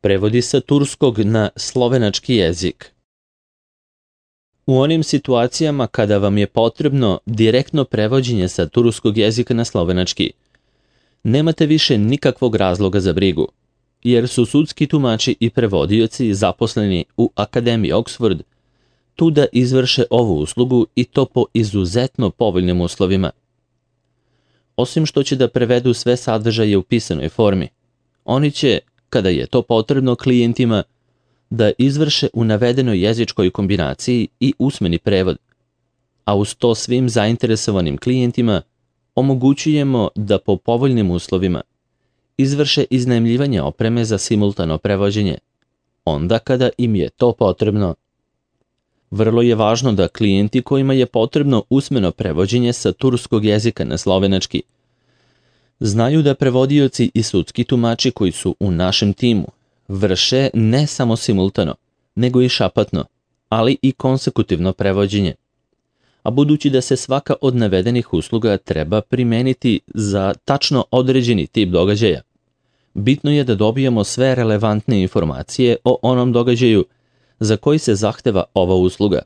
Prevodi sa turskog na slovenački jezik. U onim situacijama kada vam je potrebno direktno prevođenje sa turskog jezika na slovenački, nemate više nikakvog razloga za brigu, jer su sudski tumači i prevodioci zaposleni u Akademiji Oxford tu da izvrše ovu uslugu i to po izuzetno povoljnim uslovima. Osim što će da prevedu sve sadržaje u pisanoj formi, oni će, kada je to potrebno klijentima, da izvrše u navedenoj jezičkoj kombinaciji i usmeni prevod, a uz to svim zainteresovanim klijentima omogućujemo da po povoljnim uslovima izvrše iznajmljivanje opreme za simultano prevođenje, onda kada im je to potrebno. Vrlo je važno da klijenti kojima je potrebno usmeno prevođenje sa turskog jezika na slovenački znaju da prevodioci i sudski tumači koji su u našem timu vrše ne samo simultano, nego i šapatno, ali i konsekutivno prevođenje. A budući da se svaka od navedenih usluga treba primeniti za tačno određeni tip događaja, bitno je da dobijemo sve relevantne informacije o onom događaju za koji se zahteva ova usluga.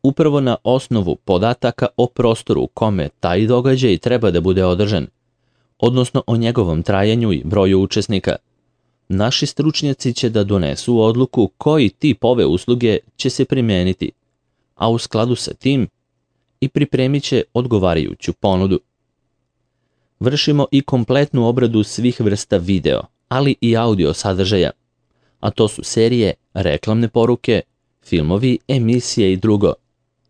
Upravo na osnovu podataka o prostoru u kome taj događaj treba da bude održan, odnosno o njegovom trajanju i broju učesnika, naši stručnjaci će da donesu odluku koji tip ove usluge će se primeniti, a u skladu sa tim i pripremit će odgovarajuću ponudu. Vršimo i kompletnu obradu svih vrsta video, ali i audio sadržaja, a to su serije, reklamne poruke, filmovi, emisije i drugo,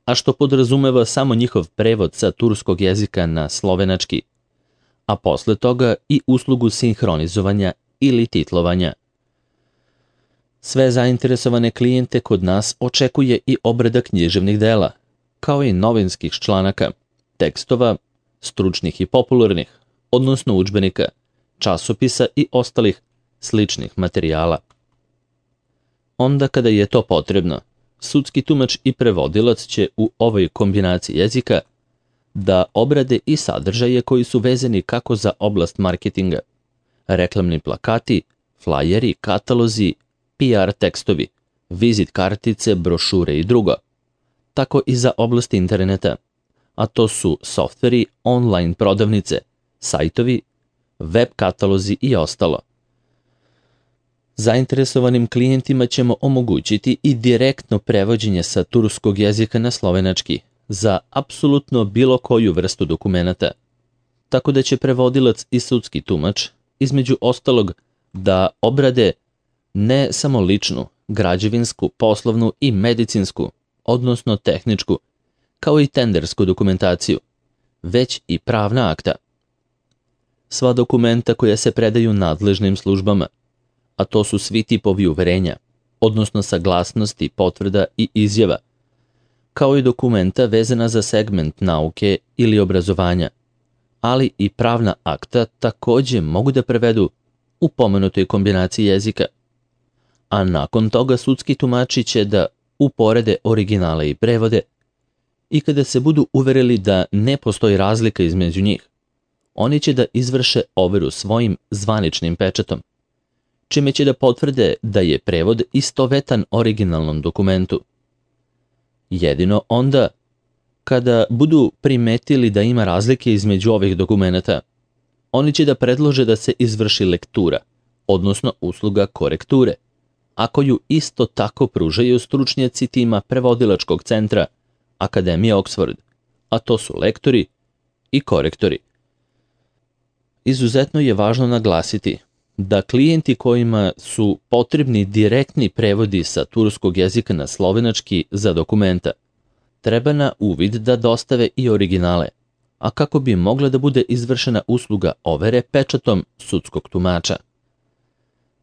a što podrazumeva samo njihov prevod sa turskog jezika na slovenački, a posle toga i uslugu sinhronizovanja ili titlovanja. Sve zainteresovane klijente kod nas očekuje i obrada književnih dela, kao i novinskih članaka, tekstova, stručnih i popularnih, odnosno udžbenika, časopisa i ostalih sličnih materijala. Onda kada je to potrebno, sudski tumač i prevodilac će u ovoj kombinaciji jezika da obrade i sadržaje koji su vezani kako za oblast marketinga, reklamni plakati, flajeri, katalozi, PR tekstovi, vizit kartice, brošure i drugo, tako i za oblast interneta, a to su softveri, online prodavnice, sajtovi, web katalozi i ostalo. Zainteresovanim klijentima ćemo omogućiti i direktno prevođenje sa turskog jezika na slovenački za apsolutno bilo koju vrstu dokumenata, tako da će prevodilac i sudski tumač, između ostalog, da obrade ne samo ličnu, građevinsku, poslovnu i medicinsku, odnosno tehničku, kao i tendersku dokumentaciju, već i pravna akta. Sva dokumenta koja se predaju nadležnim službama, a to su svi tipovi uverenja, odnosno saglasnosti, potvrda i izjava, kao i dokumenta vezana za segment nauke ili obrazovanja, ali i pravna akta takođe mogu da prevedu u pomenutoj kombinaciji jezika. A nakon toga sudski tumači će da uporede originale i prevode i kada se budu uverili da ne postoji razlika između njih, oni će da izvrše overu svojim zvaničnim pečatom, čime će da potvrde da je prevod istovetan originalnom dokumentu. Jedino onda, kada budu primetili da ima razlike između ovih dokumenata, oni će da predlože da se izvrši lektura, odnosno usluga korekture, a koju isto tako pružaju stručnjaci tima prevodilačkog centra Akademije Oxford, a to su lektori i korektori. Izuzetno je važno naglasiti da klijenti kojima su potrebni direktni prevodi sa turskog jezika na slovenački za dokumenta, treba na uvid da dostave i originale, a kako bi mogla da bude izvršena usluga overe pečatom sudskog tumača.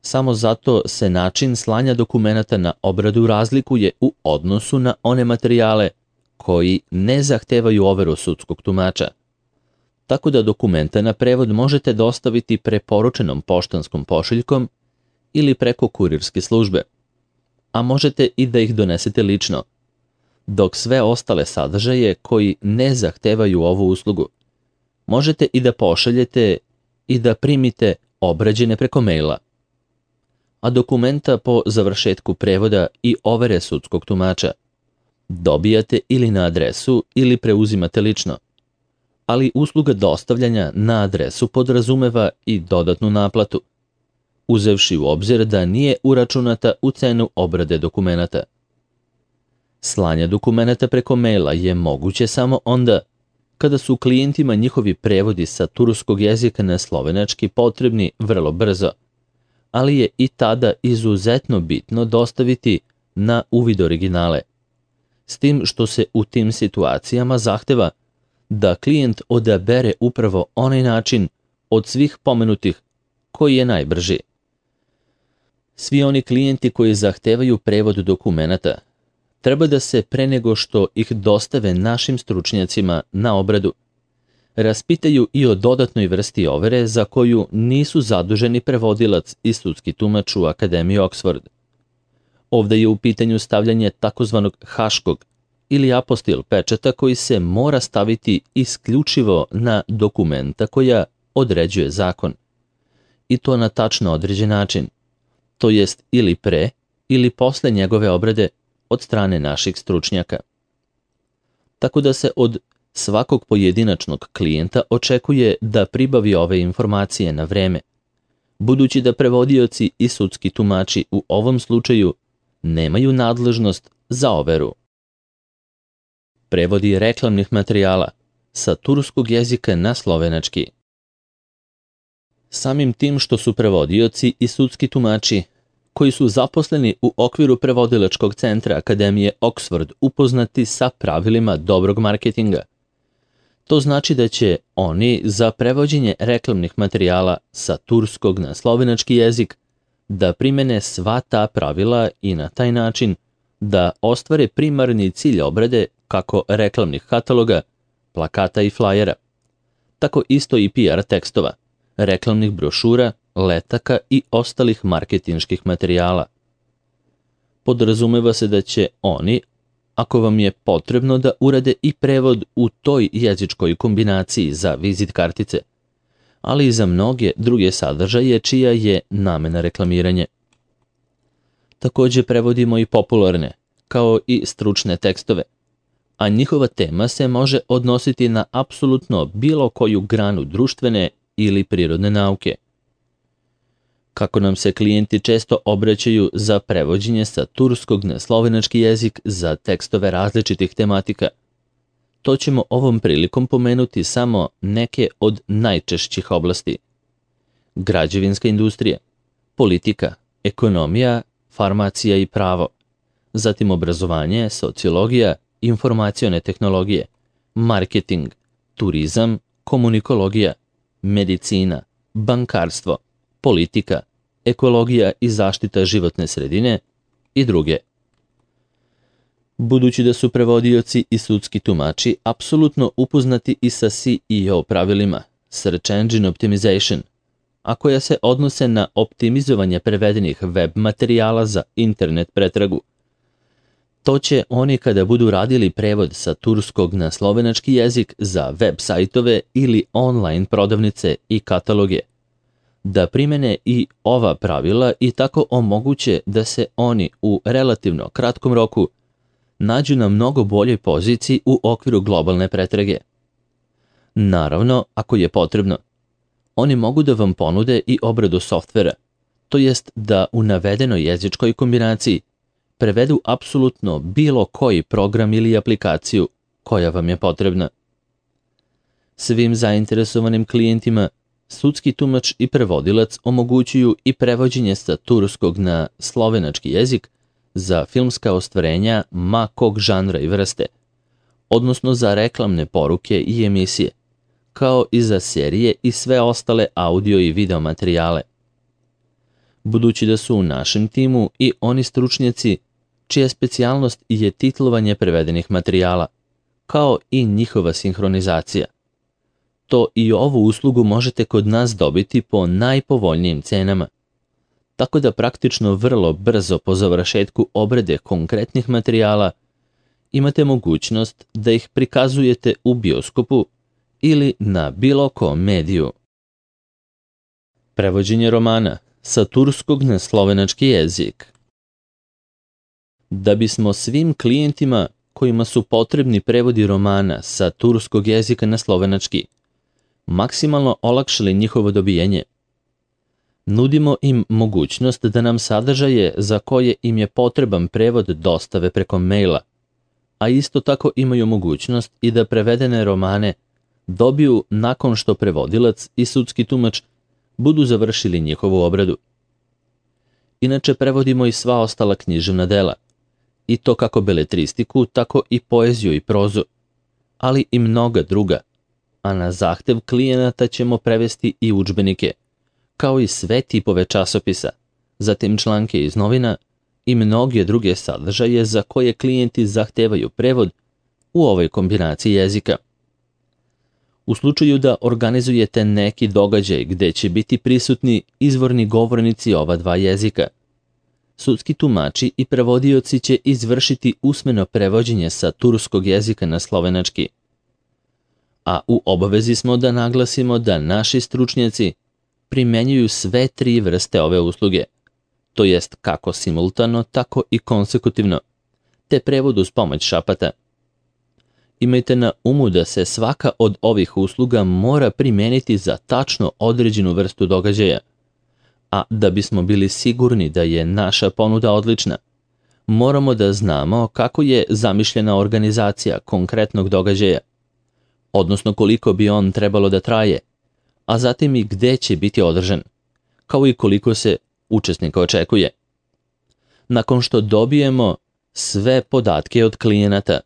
Samo zato se način slanja dokumenata na obradu razlikuje u odnosu na one materijale koji ne zahtevaju overu sudskog tumača. Tako da dokumenta na prevod možete dostaviti preporučenom poštanskom pošiljkom ili preko kurirske službe, a možete i da ih donesete lično, dok sve ostale sadržaje koji ne zahtevaju ovu uslugu možete i da pošaljete i da primite obrađene preko maila. a dokumenta po završetku prevoda i overe sudskog tumača. Dobijate ili na adresu ili preuzimate lično. Ali usluga dostavljanja na adresu podrazumeva i dodatnu naplatu, uzevši u obzir da nije uračunata u cenu obrade dokumenata. Slanje dokumenata preko maila je moguće samo onda kada su klijentima njihovi prevodi sa turskog jezika na slovenački potrebni vrlo brzo, ali je i tada izuzetno bitno dostaviti na uvid originale, s tim što se u tim situacijama zahteva da klijent odabere upravo onaj način od svih pomenutih koji je najbrži. Svi oni klijenti koji zahtevaju prevod dokumenata treba da se pre nego što ih dostave našim stručnjacima na obradu, raspitaju i o dodatnoj vrsti overe za koju nisu zaduženi prevodilac i sudski tumač u Akademiji Oxford. Ovde je u pitanju stavljanje takozvanog haškog ili apostil pečata koji se mora staviti isključivo na dokumenta koja određuje zakon. I to na tačno određen način, to jest ili pre ili posle njegove obrade od strane naših stručnjaka. Tako da se od svakog pojedinačnog klijenta očekuje da pribavi ove informacije na vreme, budući da prevodioci i sudski tumači u ovom slučaju nemaju nadležnost za overu. Prevodi reklamnih materijala sa turskog jezika na slovenački. Samim tim što su prevodioci i sudski tumači koji su zaposleni u okviru prevodilačkog centra Akademije Oxford upoznati sa pravilima dobrog marketinga, to znači da će oni za prevođenje reklamnih materijala sa turskog na slovenački jezik da primene sva ta pravila i na taj način da ostvare primarni cilj obrade kako reklamnih kataloga, plakata i flajera, tako isto i PR tekstova, reklamnih brošura, letaka i ostalih marketinških materijala. Podrazumeva se da će oni, ako vam je potrebno, da urade i prevod u toj jezičkoj kombinaciji za vizit kartice, ali i za mnoge druge sadržaje čija je namena reklamiranje. Takođe prevodimo i popularne, kao i stručne tekstove, a njihova tema se može odnositi na apsolutno bilo koju granu društvene ili prirodne nauke. Kako nam se klijenti često obraćaju za prevođenje sa turskog na slovenački jezik za tekstove različitih tematika, to ćemo ovom prilikom pomenuti samo neke od najčešćih oblasti. Građevinska industrija, politika, ekonomija, farmacija i pravo, zatim obrazovanje, sociologija, informacione tehnologije, marketing, turizam, komunikologija, medicina, bankarstvo, politika, ekologija i zaštita životne sredine i druge. Budući da su prevodioci i sudski tumači apsolutno upoznati i sa SEO pravilima, Search Engine Optimization, a koja se odnose na optimizovanje prevedenih web materijala za internet pretragu, to će oni kada budu radili prevod sa turskog na slovenački jezik za web sajtove ili online prodavnice i kataloge, da primene i ova pravila i tako omoguće da se oni u relativno kratkom roku nađu na mnogo boljoj poziciji u okviru globalne pretrage. Naravno, ako je potrebno, oni mogu da vam ponude i obradu softvera, to jest da u navedenoj jezičkoj kombinaciji prevedu apsolutno bilo koji program ili aplikaciju koja vam je potrebna. Svim zainteresovanim klijentima sudski tumač i prevodilac omogućuju i prevođenje sa turskog na slovenački jezik za filmska ostvarenja ma kog žanra i vrste, odnosno za reklamne poruke i emisije, kao i za serije i sve ostale audio i video materijale. Budući da su u našem timu i oni stručnjaci čija specijalnost je titlovanje prevedenih materijala, kao i njihova sinhronizacija, to i ovu uslugu možete kod nas dobiti po najpovoljnijim cenama, tako da praktično vrlo brzo po završetku obrade konkretnih materijala imate mogućnost da ih prikazujete u bioskopu ili na bilo kom mediju. Prevođenje romana, sa turskog na slovenački jezik. Da bismo svim klijentima kojima su potrebni prevodi romana sa turskog jezika na slovenački maksimalno olakšali njihovo dobijanje, nudimo im mogućnost da nam sadržaje za koje im je potreban prevod dostave preko maila, a isto tako imaju mogućnost i da prevedene romane dobiju nakon što prevodilac i sudski tumač budu završili njihovu obradu. Inače prevodimo i sva ostala književna dela, i to kako beletristiku, tako i poeziju i prozu, ali i mnoga druga, a na zahtev klijenata ćemo prevesti i udžbenike, kao i sve tipove časopisa, zatim članke iz novina i mnoge druge sadržaje za koje klijenti zahtevaju prevod u ovoj kombinaciji jezika. U slučaju da organizujete neki događaj gde će biti prisutni izvorni govornici ova dva jezika, sudski tumači i prevodioci će izvršiti usmeno prevođenje sa turskog jezika na slovenački. A u obavezi smo da naglasimo da naši stručnjaci primenjuju sve tri vrste ove usluge, to jest kako simultano, tako i konsekutivno, te prevod uz pomoć šapata. Imajte na umu da se svaka od ovih usluga mora primeniti za tačno određenu vrstu događaja, a da bismo bili sigurni da je naša ponuda odlična, moramo da znamo kako je zamišljena organizacija konkretnog događaja, odnosno koliko bi on trebalo da traje, a zatim i gde će biti održan, kao i koliko se učesnika očekuje. Nakon što dobijemo sve podatke od klijenata,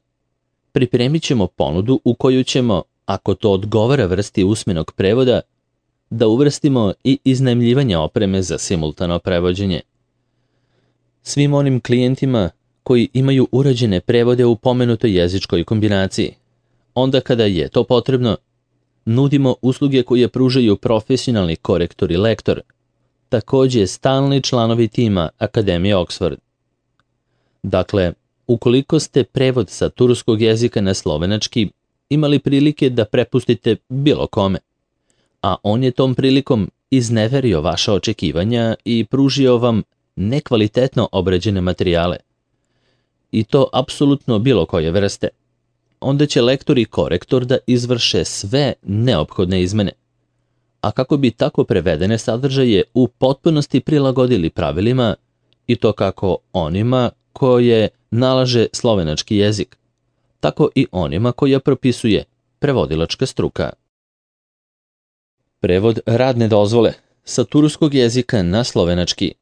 pripremit ćemo ponudu u koju ćemo, ako to odgovara vrsti usmenog prevoda, da uvrstimo i iznajmljivanje opreme za simultano prevođenje. Svim onim klijentima koji imaju urađene prevode u pomenutoj jezičkoj kombinaciji, onda kada je to potrebno, nudimo usluge koje pružaju profesionalni korektor i lektor, takođe stalni članovi tima Akademije Oxford. Dakle, ukoliko ste prevod sa turskog jezika na slovenački imali prilike da prepustite bilo kome, a on je tom prilikom izneverio vaša očekivanja i pružio vam nekvalitetno obrađene materijale, i to apsolutno bilo koje vrste, onda će lektor i korektor da izvrše sve neophodne izmene. A kako bi tako prevedene sadržaje u potpunosti prilagodili pravilima, i to kako onima koje nalaže slovenački jezik, tako i onima koja propisuje prevodilačka struka. Prevod radne dozvole sa turskog jezika na slovenački.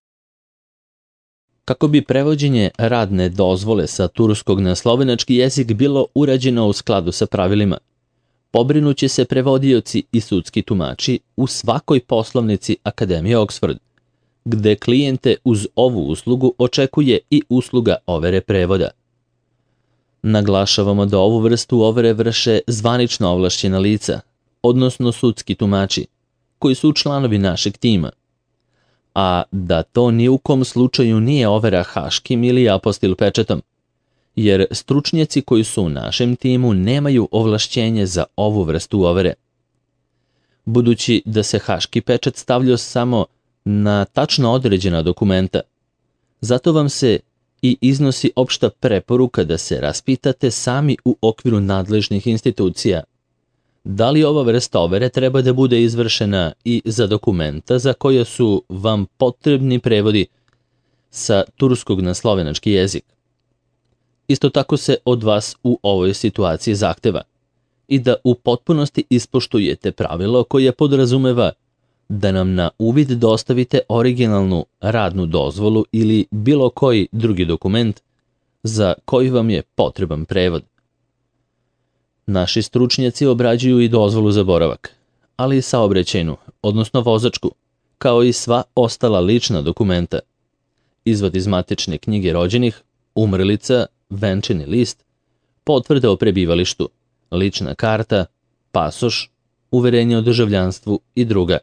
Kako bi prevođenje radne dozvole sa turskog na slovenački jezik bilo urađeno u skladu sa pravilima, pobrinuće se prevodioci i sudski tumači u svakoj poslovnici Akademije Oxford, gde klijente uz ovu uslugu očekuje i usluga overe prevoda. Naglašavamo da ovu vrstu overe vrše zvanično ovlašćena lica, odnosno sudski tumači, koji su članovi našeg tima, a da to ni u kom slučaju nije overa haškim ili apostil pečetom, jer stručnjaci koji su u našem timu nemaju ovlašćenje za ovu vrstu overe. Budući da se haški pečat stavlja samo na tačno određena dokumenta, zato vam se i iznosi opšta preporuka da se raspitate sami u okviru nadležnih institucija da li ova vrsta overe treba da bude izvršena i za dokumenta za koje su vam potrebni prevodi sa turskog na slovenački jezik. Isto tako se od vas u ovoj situaciji zahteva i da u potpunosti ispoštujete pravilo koje podrazumeva da nam na uvid dostavite originalnu radnu dozvolu ili bilo koji drugi dokument za koji vam je potreban prevod. Naši stručnjaci obrađuju i dozvolu za boravak, ali i saobraćajnu, odnosno vozačku, kao i sva ostala lična dokumenta. Izvod iz matične knjige rođenih, umrlica, venčani list, potvrda o prebivalištu, lična karta, pasoš, uverenje o državljanstvu i druga.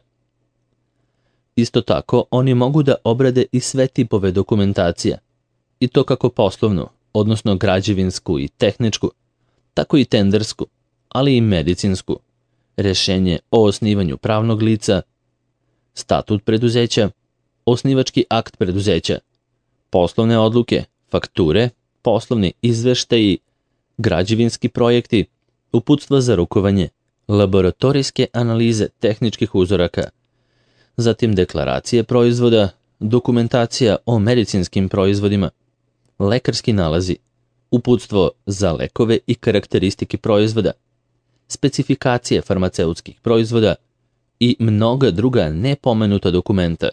Isto tako, oni mogu da obrade i sve tipove dokumentacija, i to kako poslovnu, odnosno građevinsku i tehničku, tako i tendersku, ali i medicinsku, rešenje o osnivanju pravnog lica, statut preduzeća, osnivački akt preduzeća, poslovne odluke, fakture, poslovni izveštaji, građevinski projekti, uputstva za rukovanje, laboratorijske analize tehničkih uzoraka, zatim deklaracije proizvoda, dokumentacija o medicinskim proizvodima, lekarski nalazi, uputstvo za lekove i karakteristike proizvoda, specifikacije farmaceutskih proizvoda i mnoga druga nepomenuta dokumenta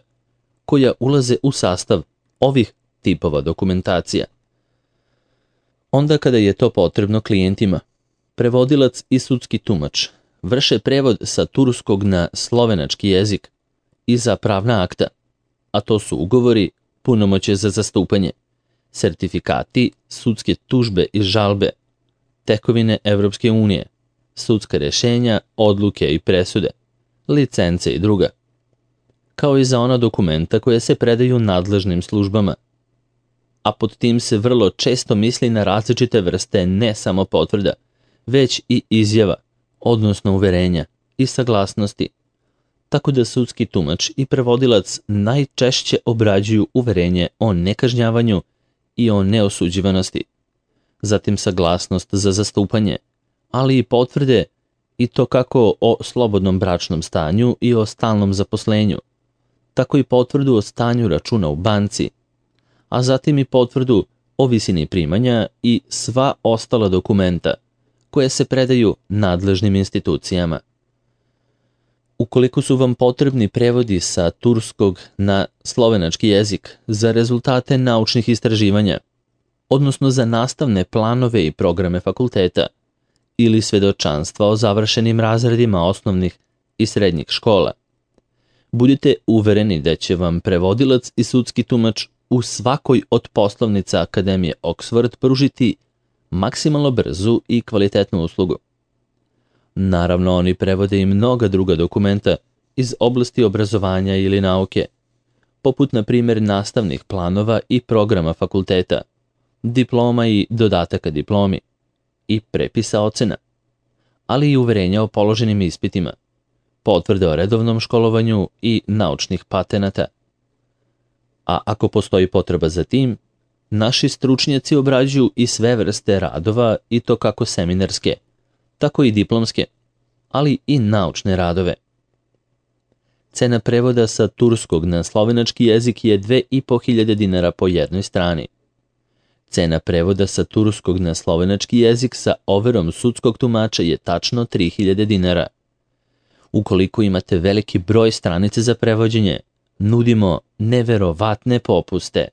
koja ulaze u sastav ovih tipova dokumentacija. Onda kada je to potrebno klijentima, prevodilac i sudski tumač vrše prevod sa turskog na slovenački jezik i za pravna akta, a to su ugovori, punomoćje za zastupanje, sertifikati, sudske tužbe i žalbe, tekovine Evropske unije, sudska rješenja, odluke i presude, licence i druga, kao i za ona dokumenta koje se predaju nadležnim službama. A pod tim se vrlo često misli na različite vrste ne samo potvrda, već i izjava, odnosno uverenja i saglasnosti, tako da sudski tumač i prevodilac najčešće obrađuju uverenje o nekažnjavanju i o neosuđivanosti, zatim saglasnost za zastupanje, ali i potvrde i to kako o slobodnom bračnom stanju i o stalnom zaposlenju, tako i potvrdu o stanju računa u banci, a zatim i potvrdu o visini primanja i sva ostala dokumenta koje se predaju nadležnim institucijama. Ukoliko su vam potrebni prevodi sa turskog na slovenački jezik za rezultate naučnih istraživanja, odnosno za nastavne planove i programe fakulteta, ili svedočanstva o završenim razredima osnovnih i srednjih škola, budite uvereni da će vam prevodilac i sudski tumač u svakoj od poslovnica Akademije Oxford pružiti maksimalno brzu i kvalitetnu uslugu. Naravno, oni prevode i mnoga druga dokumenta iz oblasti obrazovanja ili nauke, poput na primjer nastavnih planova i programa fakulteta, diploma i dodataka diplomi, i prepisa ocena, ali i uverenja o položenim ispitima, potvrde o redovnom školovanju i naučnih patenata. A ako postoji potreba za tim, naši stručnjaci obrađuju i sve vrste radova i to kako seminarske, tako i diplomske, ali i naučne radove. Cena prevoda sa turskog na slovenački jezik je 2.500 dinara po jednoj strani. Cena prevoda sa turskog na slovenački jezik sa overom sudskog tumača je tačno 3.000 dinara. Ukoliko imate veliki broj stranice za prevođenje, nudimo neverovatne popuste.